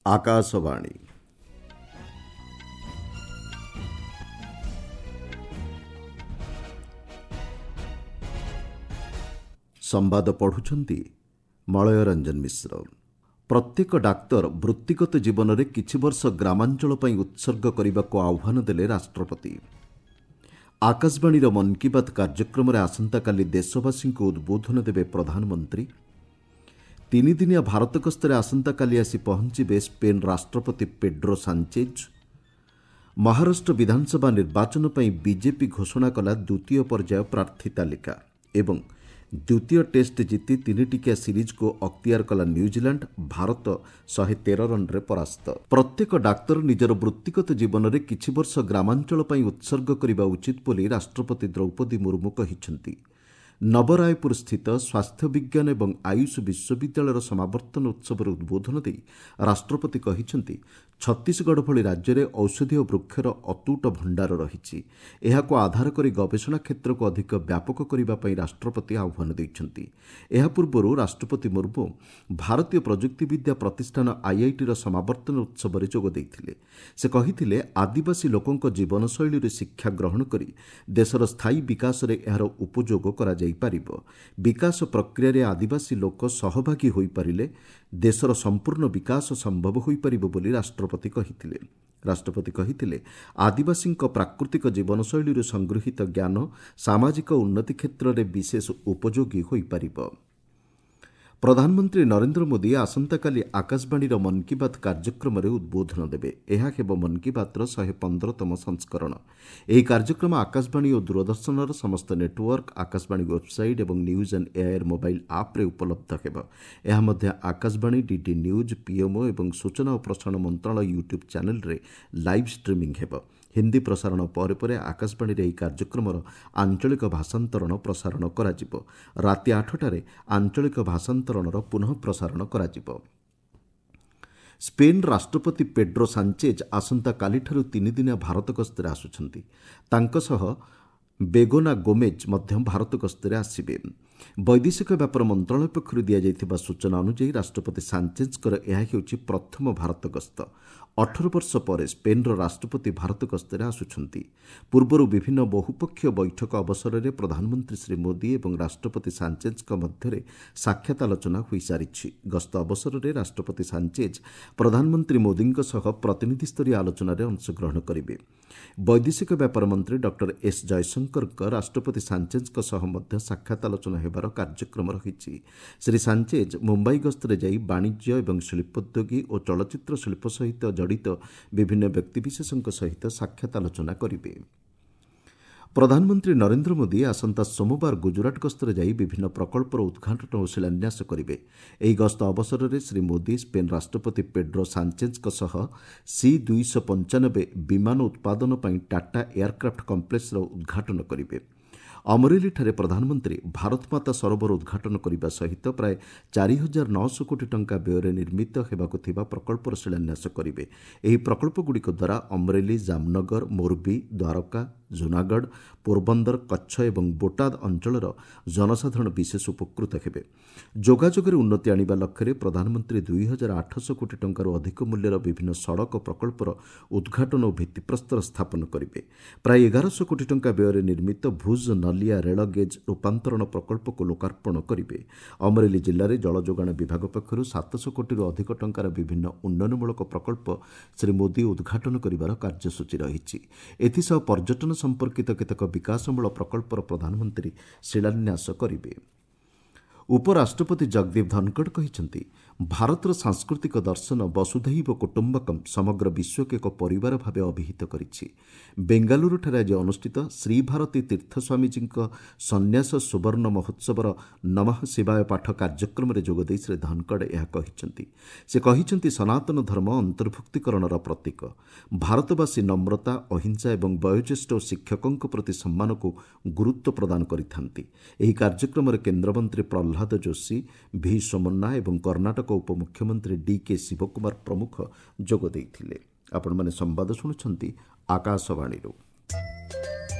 ଆକାଶବାଣୀ। ସମ୍ବାଦ ପଢ଼ୁଛନ୍ତି ମଳୟ ରଞ୍ଜନ ମିଶ୍ର। ପ୍ରତ୍ୟେକ ଡାକ୍ତର ବୃତ୍ତିଗତ ଜୀବନରେ କିଛି ବର୍ଷ ଗ୍ରାମାଞ୍ଚଳ ପାଇଁ ଉତ୍ସର୍ଗ କରିବାକୁ ଆହ୍ୱାନ ଦେଲେ ରାଷ୍ଟ୍ରପତି। ଆକାଶବାଣୀର ମନ୍ କି ବାତ୍ କାର୍ଯ୍ୟକ୍ରମରେ ଆସନ୍ତାକାଲି ଦେଶବାସୀଙ୍କୁ ଉଦ୍ବୋଧନ ଦେବେ ପ୍ରଧାନମନ୍ତ୍ରୀ। ତିନିଦିନିଆ ଭାରତ ଗସ୍ତରେ ଆସନ୍ତାକାଲି ଆସି ପହଞ୍ଚିବେ ସ୍ପେନ୍ ରାଷ୍ଟ୍ରପତି ପେଡ୍ରୋ ସାଞ୍ଚେଜ୍। ମହାରାଷ୍ଟ୍ର ବିଧାନସଭା ନିର୍ବାଚନ ପାଇଁ ବିଜେପି ଘୋଷଣା କଲା ଦ୍ୱିତୀୟ ପର୍ଯ୍ୟାୟ ପ୍ରାର୍ଥୀ ତାଲିକା ଏବଂ ଦ୍ୱିତୀୟ ଟେଷ୍ଟ ଜିତି ତିନିଟିକିଆ ସିରିଜ୍କୁ ଅକ୍ତିଆର କଲା ନ୍ୟୁଜିଲାଣ୍ଡ। ଭାରତ 113 ରନ୍ରେ ପରାସ୍ତ। ପ୍ରତ୍ୟେକ ଡାକ୍ତର ନିଜର ବୃତ୍ତିଗତ ଜୀବନରେ କିଛି ବର୍ଷ ଗ୍ରାମାଞ୍ଚଳ ପାଇଁ ଉତ୍ସର୍ଗ କରିବା ଉଚିତ ବୋଲି ରାଷ୍ଟ୍ରପତି ଦ୍ରୌପଦୀ ମୁର୍ମୁ କହିଛନ୍ତି। ନବରାୟପୁର ସ୍ଥିତ ସ୍ୱାସ୍ଥ୍ୟ ବିଜ୍ଞାନ ଏବଂ ଆୟୁଷ ବିଶ୍ୱବିଦ୍ୟାଳୟର ସମାବର୍ତ୍ତନ ଉତ୍ସବରେ ଉଦ୍ବୋଧନ ଦେଇ ରାଷ୍ଟ୍ରପତି କହିଛନ୍ତି, ଛତିଶଗଡ଼ ଭଳି ରାଜ୍ୟରେ ଔଷଧୀୟ ବୃକ୍ଷର ଅତୁଟ ଭଣ୍ଡାର ରହିଛି। ଏହାକୁ ଆଧାର କରି ଗବେଷଣା କ୍ଷେତ୍ରକୁ ଅଧିକ ବ୍ୟାପକ କରିବା ପାଇଁ ରାଷ୍ଟ୍ରପତି ଆହ୍ୱାନ ଦେଇଛନ୍ତି। ଏହା ପୂର୍ବରୁ ରାଷ୍ଟ୍ରପତି ମୁର୍ମୁ ଭାରତୀୟ ପ୍ରଯୁକ୍ତିବିଦ୍ୟା ପ୍ରତିଷ୍ଠାନ ଆଇଆଇଟିର ସମାବର୍ତ୍ତନ ଉତ୍ସବରେ ଯୋଗ ଦେଇଥିଲେ। ସେ କହିଥିଲେ, ଆଦିବାସୀ ଲୋକଙ୍କ ଜୀବନଶୈଳୀରୁ ଶିକ୍ଷା ଗ୍ରହଣ କରି ଦେଶର ସ୍ଥାୟୀ ବିକାଶରେ ଏହାର ଉପଯୋଗ କରାଯାଇପାରିବ। ବିକାଶ ପ୍ରକ୍ରିୟାରେ ଆଦିବାସୀ ଲୋକ ସହଭାଗୀ ହୋଇପାରିଲେ ଦେଶର ସମ୍ପୂର୍ଣ୍ଣ ବିକାଶ ସମ୍ଭବ ହୋଇପାରିବ ବୋଲି ରାଷ୍ଟ୍ରପତି କହିଥିଲେ। ରାଷ୍ଟ୍ରପତି କହିଥିଲେ, ଆଦିବାସୀଙ୍କ ପ୍ରାକୃତିକ ଜୀବନଶୈଳୀରୁ ସଂଗୃହୀତ ଜ୍ଞାନ ସାମାଜିକ ଉନ୍ନତି କ୍ଷେତ୍ରରେ ବିଶେଷ ଉପଯୋଗୀ ହୋଇପାରିବ। ପ୍ରଧାନମନ୍ତ୍ରୀ ନରେନ୍ଦ୍ର ମୋଦି ଆସନ୍ତାକାଲି ଆକାଶବାଣୀର ମନ୍ କି ବାତ୍ କାର୍ଯ୍ୟକ୍ରମରେ ଉଦ୍ବୋଧନ ଦେବେ। ଏହା ହେବ ମନ୍ କି ବାତ୍ର 115ତମ ସଂସ୍କରଣ। ଏହି କାର୍ଯ୍ୟକ୍ରମ ଆକାଶବାଣୀ ଓ ଦୂରଦର୍ଶନର ସମସ୍ତ ନେଟୱାର୍କ, ଆକାଶବାଣୀ ୱେବ୍ସାଇଟ୍ ଏବଂ ନ୍ୟୁଜ୍ ଅନ୍ ଏଆଇଆର୍ ମୋବାଇଲ୍ ଆପ୍ରେ ଉପଲବ୍ଧ ହେବ। ଏହା ମଧ୍ୟ ଆକାଶବାଣୀ, ଡିଡି ନ୍ୟୁଜ୍, ପିଏମ୍ଓ ଏବଂ ସୂଚନା ଓ ପ୍ରସାରଣ ମନ୍ତ୍ରଣାଳୟ ୟୁଟ୍ୟୁବ୍ ଚ୍ୟାନେଲ୍ରେ ଲାଇଭ୍ ଷ୍ଟ୍ରିମିଂ ହେବ। ହିନ୍ଦୀ ପ୍ରସାରଣ ପରେ ପରେ ଆକାଶବାଣୀରେ ଏହି କାର୍ଯ୍ୟକ୍ରମର ଆଞ୍ଚଳିକ ଭାଷାନ୍ତରଣ ପ୍ରସାରଣ କରାଯିବ। ରାତି 8ଟାରେ ଆଞ୍ଚଳିକ ଭାଷାନ୍ତରଣର ପୁନଃ ପ୍ରସାରଣ କରାଯିବ। ସ୍ପେନ୍ ରାଷ୍ଟ୍ରପତି ପେଡ୍ରୋ ସାଞ୍ଚେଜ୍ ଆସନ୍ତାକାଲିଠାରୁ ତିନିଦିନିଆ ଭାରତ ଗସ୍ତରେ ଆସୁଛନ୍ତି। ତାଙ୍କ ସହ ବେଗୋନା ଗୋମେଜ୍ ମଧ୍ୟ ଭାରତ ଗସ୍ତରେ ଆସିବେ। ବୈଦେଶିକ ବ୍ୟାପାର ମନ୍ତ୍ରଣାଳୟ ପକ୍ଷରୁ ଦିଆଯାଇଥିବା ସୂଚନା ଅନୁଯାୟୀ ରାଷ୍ଟ୍ରପତି ସାଞ୍ଚେଜ୍ଙ୍କର ଏହା ହେଉଛି ପ୍ରଥମ ଭାରତ ଗସ୍ତ। 18 ବର୍ଷ ପରେ ସ୍ପେନ୍ର ରାଷ୍ଟ୍ରପତି ଭାରତ ଗସ୍ତରେ ଆସୁଛନ୍ତି। ପୂର୍ବରୁ ବିଭିନ୍ନ ବହୁପକ୍ଷୀୟ ବୈଠକ ଅବସରରେ ପ୍ରଧାନମନ୍ତ୍ରୀ ଶ୍ରୀ ମୋଦି ଏବଂ ରାଷ୍ଟ୍ରପତି ସାଞ୍ଚେଜ୍ଙ୍କ ମଧ୍ୟରେ ସାକ୍ଷାତ ଆଲୋଚନା ହୋଇସାରିଛି। ଗସ୍ତ ଅବସରରେ ରାଷ୍ଟ୍ରପତି ସାଞ୍ଚେଜ୍ ପ୍ରଧାନମନ୍ତ୍ରୀ ମୋଦିଙ୍କ ସହ ପ୍ରତିନିଧିସ୍ତରୀୟ ଆଲୋଚନାରେ ଅଂଶଗ୍ରହଣ କରିବେ। ବୈଦେଶିକ ବ୍ୟାପାର ମନ୍ତ୍ରୀ ଡକ୍ଟର ଏସ୍ ଜୟଶଙ୍କରଙ୍କ ରାଷ୍ଟ୍ରପତି ସାଞ୍ଚେଜ୍ଙ୍କ ସହ ମଧ୍ୟ ସାକ୍ଷାତ ଆଲୋଚନା ହେବାର କାର୍ଯ୍ୟକ୍ରମ ରହିଛି। ଶ୍ରୀ ସାଞ୍ଚେଜ୍ ମୁମ୍ବାଇ ଗସ୍ତରେ ଯାଇ ବାଣିଜ୍ୟ ଏବଂ ଶିଳ୍ପୋଦ୍ୟୋଗୀ ଓ ଚଳଚ୍ଚିତ୍ର ଶିଳ୍ପ ସହିତ ଜଡ଼ିତ ବିଭିନ୍ନ ବ୍ୟକ୍ତିବିଶେଷଙ୍କ ସହିତ ସାକ୍ଷାତ ଆଲୋଚନା କରିବେ। ପ୍ରଧାନମନ୍ତ୍ରୀ ନରେନ୍ଦ୍ର ମୋଦି ଆସନ୍ତା ସୋମବାର ଗୁଜରାଟ ଗସ୍ତରେ ଯାଇ ବିଭିନ୍ନ ପ୍ରକଳ୍ପର ଉଦ୍ଘାଟନ ଓ ଶିଳାନ୍ୟାସ କରିବେ। ଏହି ଗସ୍ତ ଅବସରରେ ଶ୍ରୀ ମୋଦି ସ୍ପେନ୍ ରାଷ୍ଟ୍ରପତି ପେଡ୍ରୋ ସାଞ୍ଚେଜ୍ଙ୍କ ସହ ସି 295 ବିମାନ ଉତ୍ପାଦନ ପାଇଁ ଟାଟା ଏୟାରକ୍ରାଫ୍ଟ କମ୍ପ୍ଲେକ୍ସର ଉଦ୍ଘାଟନ କରିବେ। ଅମରେଲିଠାରେ ପ୍ରଧାନମନ୍ତ୍ରୀ ଭାରତମାତା ସରୋବର ଉଦ୍ଘାଟନ କରିବା ସହିତ ପ୍ରାୟ 4900 କୋଟି ଟଙ୍କା ବ୍ୟୟରେ ନିର୍ମିତ ହେବାକୁ ଥିବା ପ୍ରକଳ୍ପର ଶିଳାନ୍ୟାସ କରିବେ। ଏହି ପ୍ରକଳ୍ପଗୁଡ଼ିକ ଦ୍ୱାରା ଅମରେଲି, ଜାମନଗର, ମୋର୍ବି, ଦ୍ୱାରକା, ଜୁନାଗଡ଼, ପୋରବନ୍ଦର, କଚ୍ଛ ଏବଂ ବୋଟାଦ ଅଞ୍ଚଳର ଜନସାଧାରଣ ବିଶେଷ ଉପକୃତ ହେବେ। ଯୋଗାଯୋଗରେ ଉନ୍ନତି ଆଣିବା ଲକ୍ଷ୍ୟରେ ପ୍ରଧାନମନ୍ତ୍ରୀ 2800 କୋଟି ଟଙ୍କାରୁ ଅଧିକ ମୂଲ୍ୟର ବିଭିନ୍ନ ସଡ଼କ ପ୍ରକଳ୍ପର ଉଦ୍ଘାଟନ ଓ ଭିତ୍ତିପ୍ରସ୍ତର ସ୍ଥାପନ କରିବେ। ପ୍ରାୟ 1100 କୋଟି ଟଙ୍କା ବ୍ୟୟରେ ନିର୍ମିତ ଭୁଜ୍ ନଲିଆ ରେଳ ଗେଜ୍ ରୂପାନ୍ତରଣ ପ୍ରକଳ୍ପକୁ ଲୋକାର୍ପଣ କରିବେ। ଅମରେଲି ଜିଲ୍ଲାରେ ଜଳଯୋଗାଣ ବିଭାଗ ପକ୍ଷରୁ 700 କୋଟିରୁ ଅଧିକ ଟଙ୍କାର ବିଭିନ୍ନ ଉନ୍ନୟନମୂଳକ ପ୍ରକଳ୍ପ ଶ୍ରୀ ମୋଦି ଉଦ୍ଘାଟନ କରିବାର କାର୍ଯ୍ୟସୂଚୀ ରହିଛି। ଏଥିସହ ପର୍ଯ୍ୟଟନ ସମ୍ପର୍କିତ କେତେକ ବିକାଶମୂଳ ପ୍ରକଳ୍ପର ପ୍ରଧାନମନ୍ତ୍ରୀ ଶିଳାନ୍ୟାସ କରିବେ। ଉପରାଷ୍ଟ୍ରପତି ଜଗଦୀପ ଧନଖଡ଼ କହିଛନ୍ତି, ଭାରତର ସାଂସ୍କୃତିକ ଦର୍ଶନ ବସୁଧୈବ କୁଟୁମ୍ବକମ୍ ସମଗ୍ର ବିଶ୍ୱକୁ ଏକ ପରିବାର ଭାବେ ଅଭିହିତ କରିଛି। ବେଙ୍ଗାଲୁରୁଠାରେ ଆଜି ଅନୁଷ୍ଠିତ ଶ୍ରୀଭାରତୀ ତୀର୍ଥ ସ୍ୱାମୀଜୀଙ୍କ ସନ୍ନ୍ୟାସ ସୁବର୍ଣ୍ଣ ମହୋତ୍ସବର ନମଃ ଶିବାୟ ପାଠ କାର୍ଯ୍ୟକ୍ରମରେ ଯୋଗଦେଇ ଶ୍ରୀ ଧନଖଡ଼ ଏହା କହିଛନ୍ତି। ସେ କହିଛନ୍ତି, ସନାତନ ଧର୍ମ ଅନ୍ତର୍ଭୁକ୍ତୀକରଣର ପ୍ରତୀକ। ଭାରତବାସୀ ନମ୍ରତା, ଅହିଂସା ଏବଂ ବୟୋଜ୍ୟେଷ୍ଠ ଓ ଶିକ୍ଷକଙ୍କ ପ୍ରତି ସମ୍ମାନକୁ ଗୁରୁତ୍ୱ ପ୍ରଦାନ କରିଥାନ୍ତି। ଏହି କାର୍ଯ୍ୟକ୍ରମରେ କେନ୍ଦ୍ରମନ୍ତ୍ରୀ ପ୍ରହ୍ଲାଦ ଯୋଶୀ, ଭି ସୋମନ୍ନା ଏବଂ କର୍ଣ୍ଣାଟକ ଉପମୁଖ୍ୟମନ୍ତ୍ରୀ ଡିକେ ଶିବକୁମାର ପ୍ରମୁଖ ଯୋଗ ଦେଇଥିଲେ। ଆପଣମାନେ ସମ୍ବାଦ ଶୁଣୁଛନ୍ତି ଆକାଶବାଣୀରୁ।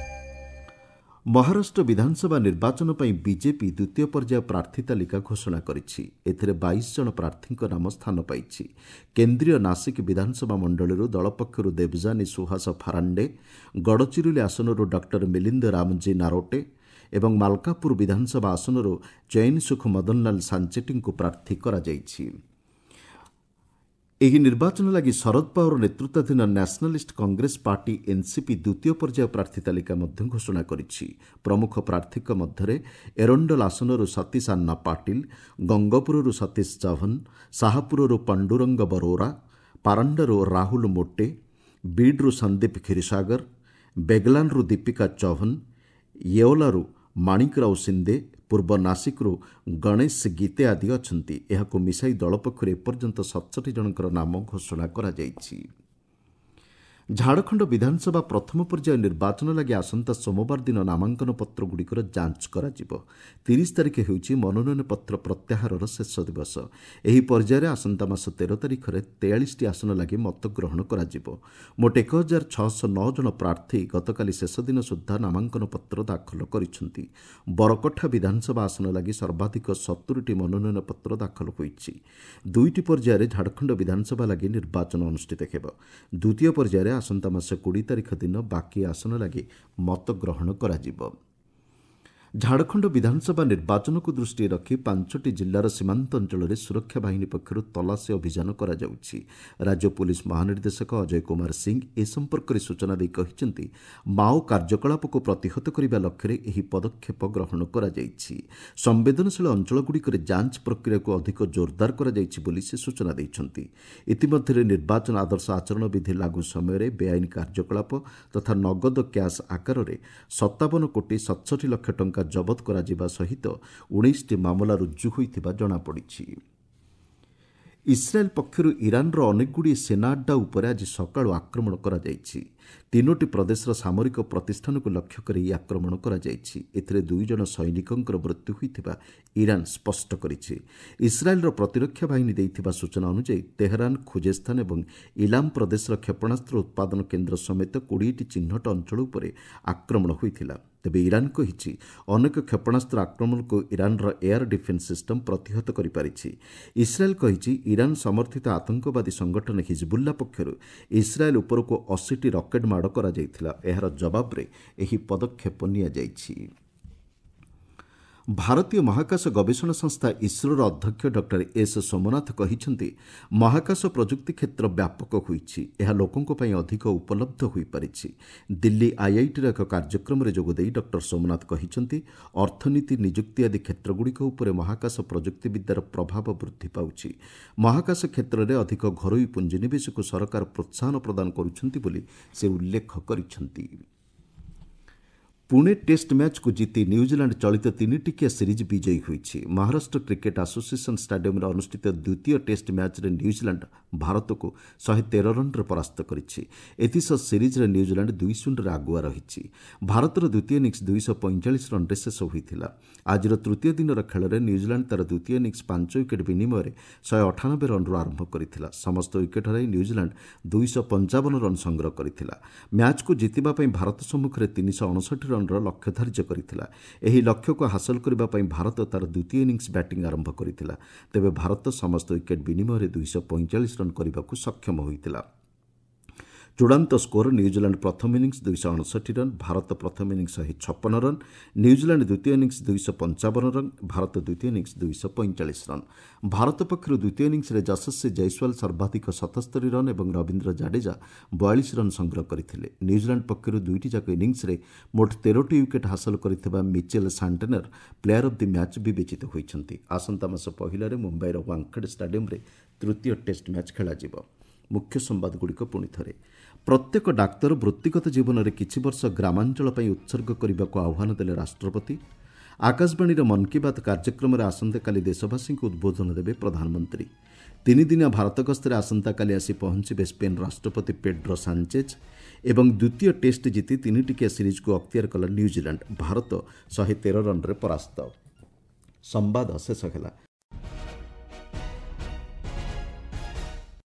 ମହାରାଷ୍ଟ୍ର ବିଧାନସଭା ନିର୍ବାଚନ ପାଇଁ ବିଜେପି ଦ୍ୱିତୀୟ ପର୍ଯ୍ୟାୟ ପ୍ରାର୍ଥୀ ତାଲିକା ଘୋଷଣା କରିଛି। ଏଥିରେ 22 ଜଣ ପ୍ରାର୍ଥୀଙ୍କ ନାମ ସ୍ଥାନ ପାଇଛି। କେନ୍ଦ୍ରୀୟ ନାସିକ ବିଧାନସଭା ମଣ୍ଡଳୀରୁ ଦଳ ପକ୍ଷରୁ ଦେବଯାନୀ ସୁହାସ ଫାରାଣ୍ଡେ, ଗଡ଼ଚିରୋଲି ଆସନରୁ ଡକ୍ଟର ମିଲିନ୍ଦ ରାମଜୀ ନାରୋଟେ ଏବଂ ମାଲକାପୁର ବିଧାନସଭା ଆସନରୁ ଚୟନସୁଖ ମଦନଲାଲ ସାଞ୍ଚେଟିଙ୍କୁ ପ୍ରାର୍ଥୀ କରାଯାଇଛି। ଏହି ନିର୍ବାଚନ ଲାଗି ଶରଦ ପାୱାର ନେତୃତ୍ୱାଧୀନ ନ୍ୟାସନାଲିଷ୍ଟ କଂଗ୍ରେସ ପାର୍ଟି ଏନ୍ସିପି ଦ୍ୱିତୀୟ ପର୍ଯ୍ୟାୟ ପ୍ରାର୍ଥୀ ତାଲିକା ମଧ୍ୟ ଘୋଷଣା କରିଛି। ପ୍ରମୁଖ ପ୍ରାର୍ଥୀଙ୍କ ମଧ୍ୟରେ ଏରଣ୍ଡଲ ଆସନରୁ ସତୀଶ ଆନ୍ନା ପାଟିଲ, ଗଙ୍ଗପୁରରୁ ସତୀଶ ଚଭନ, ଶାହପୁରରୁ ପାଣ୍ଡୁରଙ୍ଗ ବରୋରା, ପାରାଣ୍ଡାରୁ ରାହୁଲ ମୋଟେ, ବିଡ୍ରୁ ସନ୍ଦୀପ କ୍ଷୀରସାଗର, ବେଗଲାନରୁ ଦୀପିକା ଚଭନ, ୟେଓଲାରୁ ମାଣିକରାଓ ସିନ୍ଦେ, ପୂର୍ବ ନାସିକରୁ ଗଣେଶ ଗୀତେ ଆଦି ଅଛନ୍ତି। ଏହାକୁ ମିଶାଇ ଦଳ ପକ୍ଷରୁ ଏପର୍ଯ୍ୟନ୍ତ 67 ଜଣଙ୍କର ନାମ ଘୋଷଣା କରାଯାଇଛି। ଝାଡ଼ଖଣ୍ଡ ବିଧାନସଭା ପ୍ରଥମ ପର୍ଯ୍ୟାୟ ନିର୍ବାଚନ ଲାଗି ଆସନ୍ତା ସୋମବାର ଦିନ ନାମାଙ୍କନ ପତ୍ରଗୁଡ଼ିକର ଯାଞ୍ଚ କରାଯିବ। 30 ତାରିଖ ହେଉଛି ମନୋନୟନ ପତ୍ର ପ୍ରତ୍ୟାହାରର ଶେଷ ଦିବସ। ଏହି ପର୍ଯ୍ୟାୟରେ ଆସନ୍ତା ମାସ 13 ତାରିଖରେ 43ଟି ଆସନ ଲାଗି ମତଗ୍ରହଣ କରାଯିବ। ମୋଟ 1609 ଜଣ ପ୍ରାର୍ଥୀ ଗତକାଲି ଶେଷ ଦିନ ସୁଦ୍ଧା ନାମାଙ୍କନ ପତ୍ର ଦାଖଲ କରିଛନ୍ତି। ବରକଠା ବିଧାନସଭା ଆସନ ଲାଗି ସର୍ବାଧିକ 70ଟି ମନୋନୟନ ପତ୍ର ଦାଖଲ ହୋଇଛି। ଦୁଇଟି ପର୍ଯ୍ୟାୟରେ ଝାଡ଼ଖଣ୍ଡ ବିଧାନସଭା ଲାଗି ନିର୍ବାଚନ ଅନୁଷ୍ଠିତ ହେବ। ଦ୍ୱିତୀୟ ପର୍ଯ୍ୟାୟରେ ଆସନ୍ତା ମାସ 20 ତାରିଖ ଦିନ ବାକି ଆସନ ଲାଗି ମତଗ୍ରହଣ କରାଯିବ। ଝାଡ଼ଖଣ୍ଡ ବିଧାନସଭା ନିର୍ବାଚନକୁ ଦୃଷ୍ଟିରେ ରଖି 5ଟି ଜିଲ୍ଲାର ସୀମାନ୍ତ ଅଞ୍ଚଳରେ ସୁରକ୍ଷା ବାହିନୀ ପକ୍ଷରୁ ତଲାସୀ ଅଭିଯାନ କରାଯାଉଛି। ରାଜ୍ୟ ପୁଲିସ୍ ମହାନିର୍ଦ୍ଦେଶକ ଅଜୟ କୁମାର ସିଂ ଏ ସମ୍ପର୍କରେ ସୂଚନା ଦେଇ କହିଛନ୍ତି, ମାଓ କାର୍ଯ୍ୟକଳାପକୁ ପ୍ରତିହତ କରିବା ଲକ୍ଷ୍ୟରେ ଏହି ପଦକ୍ଷେପ ଗ୍ରହଣ କରାଯାଇଛି। ସମ୍ବେଦନଶୀଳ ଅଞ୍ଚଳଗୁଡ଼ିକରେ ଯାଞ୍ଚ ପ୍ରକ୍ରିୟାକୁ ଅଧିକ ଜୋରଦାର କରାଯାଇଛି ବୋଲି ସେ ସୂଚନା ଦେଇଛନ୍ତି। ଇତିମଧ୍ୟରେ ନିର୍ବାଚନ ଆଦର୍ଶ ଆଚରଣ ବିଧି ଲାଗୁ ସମୟରେ ବେଆଇନ କାର୍ଯ୍ୟକଳାପ ତଥା ନଗଦ କ୍ୟାସ୍ ଆକାରରେ 57 କୋଟି 67 ଲକ୍ଷ ଟଙ୍କା ଜବତ କରାଯିବା ସହିତ 19ଟି ମାମଲା ରୁଜୁ ହୋଇଥିବା ଜଣାପଡ଼ିଛି। ଇସ୍ରାଏଲ୍ ପକ୍ଷରୁ ଇରାନର ଅନେକଗୁଡ଼ିଏ ସେନା ଆଡ୍ଡା ଉପରେ ଆଜି ସକାଳୁ ଆକ୍ରମଣ କରାଯାଇଛି। 3ଟି ପ୍ରଦେଶର ସାମରିକ ପ୍ରତିଷ୍ଠାନକୁ ଲକ୍ଷ୍ୟ କରି ଏହି ଆକ୍ରମଣ କରାଯାଇଛି। ଏଥିରେ 2 ଜଣ ସୈନିକଙ୍କର ମୃତ୍ୟୁ ହୋଇଥିବା ଇରାନ ସ୍ପଷ୍ଟ କରିଛି। ଇସ୍ରାଏଲ୍ର ପ୍ରତିରକ୍ଷା ବାହିନୀ ଦେଇଥିବା ସୂଚନା ଅନୁଯାୟୀ ତେହରାନ, ଖୁଜେସ୍ତାନ ଏବଂ ଇଲାମ ପ୍ରଦେଶର କ୍ଷେପଣାସ୍ତ୍ର ଉତ୍ପାଦନ କେନ୍ଦ୍ର ସମେତ 20ଟି ଚିହ୍ନଟ ଅଞ୍ଚଳ ଉପରେ ଆକ୍ରମଣ ହୋଇଥିଲା। ତେବେ ଇରାନ କହିଛି, ଅନେକ କ୍ଷେପଣାସ୍ତ୍ର ଆକ୍ରମଣକୁ ଇରାନର ଏୟାର ଡିଫେନ୍ସ ସିଷ୍ଟମ ପ୍ରତିହତ କରିପାରିଛି। ଇସ୍ରାଏଲ୍ କହିଛି, ଇରାନ ସମର୍ଥିତ ଆତଙ୍କବାଦୀ ସଂଗଠନ ହିଜବୁଲ୍ଲା ପକ୍ଷରୁ ଇସ୍ରାଏଲ୍ ଉପରକୁ 80ଟି ରକେଟ୍ ମାଡ଼ କରାଯାଇଥିଲା। ଏହାର ଜବାବରେ ଏହି ପଦକ୍ଷେପ ନିଆଯାଇଛି। ଭାରତୀୟ ମହାକାଶ ଗବେଷଣା ସଂସ୍ଥା ଇସ୍ରୋର ଅଧ୍ୟକ୍ଷ ଡକ୍ଟର ଏସ୍ ସୋମନାଥ କହିଛନ୍ତି, ମହାକାଶ ପ୍ରଯୁକ୍ତି କ୍ଷେତ୍ର ବ୍ୟାପକ ହୋଇଛି। ଏହା ଲୋକଙ୍କ ପାଇଁ ଅଧିକ ଉପଲବ୍ଧ ହୋଇପାରିଛି। ଦିଲ୍ଲୀ ଆଇଆଇଟିର ଏକ କାର୍ଯ୍ୟକ୍ରମରେ ଯୋଗଦେଇ ଡକ୍ଟର ସୋମନାଥ କହିଛନ୍ତି, ଅର୍ଥନୀତି, ନିଯୁକ୍ତି ଆଦି କ୍ଷେତ୍ରଗୁଡ଼ିକ ଉପରେ ମହାକାଶ ପ୍ରଯୁକ୍ତିବିଦ୍ୟାର ପ୍ରଭାବ ବୃଦ୍ଧି ପାଉଛି। ମହାକାଶ କ୍ଷେତ୍ରରେ ଅଧିକ ଘରୋଇ ପୁଞ୍ଜିନିବେଶକୁ ସରକାର ପ୍ରୋତ୍ସାହନ ପ୍ରଦାନ କରୁଛନ୍ତି ବୋଲି ସେ ଉଲ୍ଲେଖ କରିଛନ୍ତି। ପୁଣେ ଟେଷ୍ଟ ମ୍ୟାଚ୍କୁ ଜିତି ନ୍ୟୁଜିଲାଣ୍ଡ ଚଳିତ 3ଟିକିଆ ସିରିଜ୍ ବିଜୟୀ ହୋଇଛି। ମହାରାଷ୍ଟ୍ର କ୍ରିକେଟ୍ ଆସୋସିଏସନ୍ ଷ୍ଟାଡିୟମ୍ରେ ଅନୁଷ୍ଠିତ ଦ୍ୱିତୀୟ ଟେଷ୍ଟ ମ୍ୟାଚ୍ରେ ନ୍ୟୁଜିଲାଣ୍ଡ ଭାରତକୁ 113 ରନ୍ରେ ପରାସ୍ତ କରିଛି। ଏଥିସହ ସିରିଜ୍ରେ ନ୍ୟୁଜିଲାଣ୍ଡ 2-0ରେ ଆଗୁଆ ରହିଛି। ଭାରତର ଦ୍ୱିତୀୟ ଇନିଂସ୍ 245 ରନ୍ରେ ଶେଷ ହୋଇଥିଲା। ଆଜିର ତୃତୀୟ ଦିନର ଖେଳରେ ନ୍ୟୁଜିଲାଣ୍ଡ ତା'ର ଦ୍ୱିତୀୟ ଇନିଂସ୍ 5 ୱିକେଟ୍ ବିନିମୟରେ 198 ରନ୍ରୁ ଆରମ୍ଭ କରିଥିଲା। ସମସ୍ତ ୱିକେଟ୍ ହରାଇ ନ୍ୟୁଜିଲାଣ୍ଡ 255 ରନ୍ ସଂଗ୍ରହ କରିଥିଲା। ମ୍ୟାଚ୍କୁ ଜିତିବା ପାଇଁ ଭାରତ ସମ୍ମୁଖରେ 359 ରନ୍ର ଲକ୍ଷ୍ୟ ଧାର୍ଯ୍ୟ କରିଥିଲା। ଏହି ଲକ୍ଷ୍ୟକୁ ହାସଲ କରିବା ପାଇଁ ଭାରତ ତା'ର ଦ୍ୱିତୀୟ ଇନିଂସ୍ ବ୍ୟାଟିଂ ଆରମ୍ଭ କରିଥିଲା। ତେବେ ଭାରତ ସମସ୍ତ ୱିକେଟ୍ ବିନିମୟରେ 245 ରନ୍ କରିବାକୁ ସକ୍ଷମ ହୋଇଥିଲା। ଚୂଡ଼ାନ୍ତ ସ୍କୋର ନ୍ୟୁଜିଲାଣ୍ଡ ପ୍ରଥମ ଇନିଂସ୍ 259 ରନ୍, ଭାରତ ପ୍ରଥମ ଇନିଂସ୍ 156 ରନ୍, ନ୍ୟୁଜିଲାଣ୍ଡ ଦ୍ୱିତୀୟ ଇନିଂସ୍ 255 ରନ୍, ଭାରତ ଦ୍ୱିତୀୟ ଇନିଂସ୍ 245 ରନ୍। ଭାରତ ପକ୍ଷରୁ ଦ୍ୱିତୀୟ ଇନିଂସ୍ରେ ଯଶସ୍ୱୀ ଜୟସ୍ୱାଲ ସର୍ବାଧିକ 77 ରନ୍ ଏବଂ ରବୀନ୍ଦ୍ର ଜାଡେଜା 42 ରନ୍ ସଂଗ୍ରହ କରିଥିଲେ। ନ୍ୟୁଜିଲାଣ୍ଡ ପକ୍ଷରୁ ଦୁଇଟି ଯାକ ଇନିଂସ୍ରେ ମୋଟ 13ଟି ୱିକେଟ୍ ହାସଲ କରିଥିବା Mitchell Santner player of the match ବିବେଚିତ ହୋଇଛନ୍ତି। ଆସନ୍ତା ମାସ 1ରେ ମୁମ୍ବାଇର ୱାଙ୍ଗଖେଡ୍ ଷ୍ଟାଡିୟମ୍ରେ ତୃତୀୟ ଟେଷ୍ଟ ମ୍ୟାଚ୍ ଖେଳାଯିବ। ମୁଖ୍ୟ ସମ୍ବାଦଗୁଡ଼ିକ ପୁଣି ଥରେ। ପ୍ରତ୍ୟେକ ଡାକ୍ତର ବୃତ୍ତିଗତ ଜୀବନରେ କିଛି ବର୍ଷ ଗ୍ରାମାଞ୍ଚଳ ପାଇଁ ଉତ୍ସର୍ଗ କରିବାକୁ ଆହ୍ୱାନ ଦେଲେ ରାଷ୍ଟ୍ରପତି। ଆକାଶବାଣୀର ମନ୍ କି ବାତ୍ କାର୍ଯ୍ୟକ୍ରମରେ ଆସନ୍ତାକାଲି ଦେଶବାସୀଙ୍କୁ ଉଦ୍ବୋଧନ ଦେବେ ପ୍ରଧାନମନ୍ତ୍ରୀ। 3 ଦିନିଆ ଭାରତ ଗସ୍ତରେ ଆସନ୍ତାକାଲି ଆସି ପହଞ୍ଚିବେ ସ୍ପେନ୍ ରାଷ୍ଟ୍ରପତି ପେଡ୍ରୋ ସାଞ୍ଚେଜ୍। ଏବଂ ଦ୍ୱିତୀୟ ଟେଷ୍ଟ ଜିତି 3ଟିକିଆ ସିରିଜ୍କୁ ଅକ୍ତିଆର କଲା ନ୍ୟୁଜିଲାଣ୍ଡ। ଭାରତ 113 ରନ୍ରେ ପରାସ୍ତ। ସମ୍ବାଦ ଶେଷ ହେଲା।